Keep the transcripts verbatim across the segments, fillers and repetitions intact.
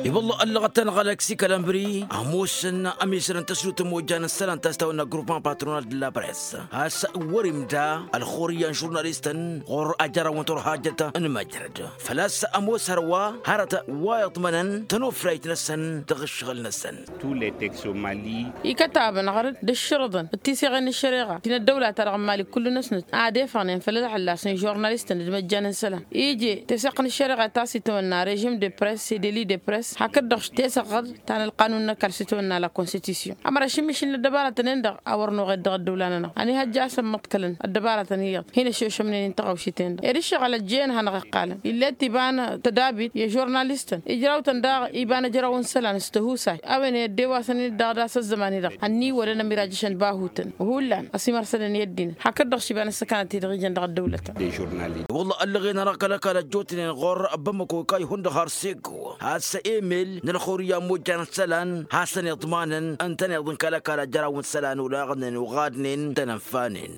I-wălla ăllăɣăt-anăɣ aleksi kalămbri ămoosăn ămizărăn tăsnut n-imojjan n-isălan ta s-tawănna grupman patronal d-la press. Has-wăr-imda ălxurǝyya n-žurnalistăn ɣur-ajăraw n-turhajăt n-măjrăd făl-a-s ămoos hărwa hărăt wa iḍmănăn tănufrayt-năsăn dăɣ-ǝššăɣǝl-năsăn. Ikătabăn ɣărăt d-ǝššărǝḍăn d-tiseɣen n-ăššăreɣa ti n-ăddăwla-ta-dăɣ n-imali kullu-năsnăt ad-efăɣnen făll-ălɣăllas n-žurnalistăn d-imăjjan n-isălan ije teseɣt n-ăššăreɣa ta s-itawănna režim de press s-edeli de press hakd-dăɣ teseɣt ta n-ălqanun n-ăkall s-itawănna la konstitusyon ămăra ašǝmmišǝl n-ăddăbaratăn-en-dăɣ a wăr noɣed dăɣ-ăddăwla-nănăɣ ăniihăjja a-s ămmăḍkălăn ăddăbaratăn iyyăḍ hin-ăššošămnen n-tăɣawšit-en-dăɣ ed ǝššăɣǝl ăjjeen hanăɣ-iqqalăn ill'-e t-iba n-tădabit i-žurnalistăn ijrawtăn daɣ iba n-ejăraw n-isălan s-tăhusay a-wen i-ăddewasăn-in daɣ d-a-s ăzzăman-i-dăɣ ănniwălăn ămirajăšăn bahutăn hullan ăsimărsădăn i-ăddinăt hakd-dăɣ s-iba n-ăssăkanăt-i-dăɣ ijăn dăɣ-ăddăwlătăn. Wălla ăllăɣen-anăɣ kăl-ăkall ăjjootnen ɣur-ăbbămmăko ikay hundăɣ har s-eggo has-emel n-ălxurǝyya n-imojjan n-isălan hasăn-iḍmanăn ǝntăneḍ n-kăl-ăkall ăjraw n-isălan olaɣnen oɣadnen tăn-ănfanen.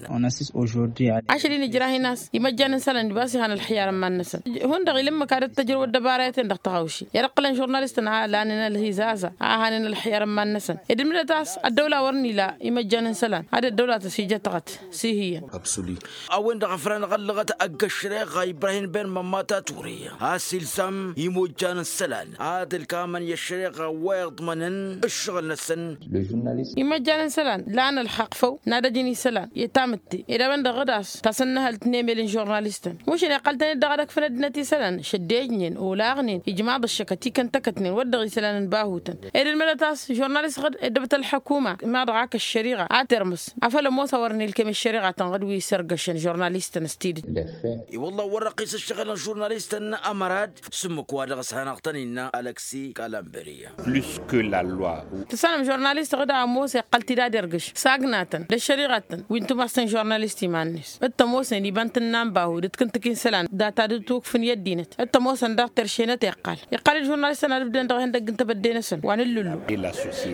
Ašăl-in ijrahin a-s imăjjan n-isălan d-iba s-ihan ălxiyar n-iman-năsăn hundăɣ ila ǝmmǝk ad-ăttăjrăw ăddăbarayăten dăɣ-tăɣawši i-ad-ǝqqǝlăn žurnalistăn a lanen ălhizază a hanen ălxiyar n-iman-năsăn ed ǝlmǝdăt a-s ăddăwla wăr n-ila imăjjan n-isălan ad-ăddăwla tăsijătăɣăt s-ihiyyăn. A-wen-dăɣ a făl anăɣ-ăllăɣăt ăgg-ăššăreɣa ibrahim ben mămmata ture a-s ilzam imojjan n-isălan ad-ǝlkamăn i-ăššăreɣa wa iḍmănăn ǝššăɣǝl-năsăn. Imăjjan n-isălan lan ălxaqq făw n-ad-ăjǝn isălan i-tamǝtte ed a-wen-dăɣ d-a-s tasănnăhălt n-emel n-žurnalistăn mušăn iqqăl-tăn-dd dăɣ-ad-ăkfăn ăddinăt isălan šăddejnen olaɣnen ijmaḍ ăššăkăt ikăn tăkătnen wăr dăɣ-isălan n-bahutăn ed ǝlmǝdăt a-s žurnalist ɣǝd ăddăbăt ălḥăkuma ma-dăɣ ak ăššăriɣa a termǝs afăl ămoos a wăr n-ilkem ăššăriɣa tănɣăd wi s-ărgăšăn žurnalistăn s-tidǝt. I-wălla wăr-răqqis ăššăɣǝl n-žurnalistăn ămărad s-ǝmmǝk wa dăɣ-s hanăɣ-tăn-innă aleksi kalamberiya. Tǝssanăm žurnalist ɣǝd a ămoos iqqăl-t-dd ad-irgǝš s-agnatăn d-ăššăriɣatăn wi n-tumast n-žurnalist iman-net d-tămoosnen iba n-tǝnna n-bahu d-ǝtkǝntǝk-i n-isălan data d-ǝtwǝkfǝn i-ăddinăt d-tămoosăn daɣ terše-năt iqqal iqqăl-dd žurnalistăn ad-ǝbdǝyăn dăɣ-ihăndăgg n-tebădde-năsăn wa n-ǝllǝllu.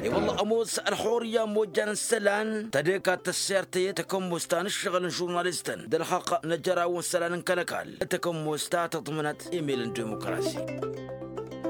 I-wălla ămoos ălxurǝyya n-imojjan n-isălan tădeka d-tăssert i-takămmost ta n-ǝššăɣǝl n-žurnalistăn d-ălxaqq n-ejăraw n-isălan n-kăl-ăkall d-takămmost ta tăḍmǝnăt emel n-dimukrasi.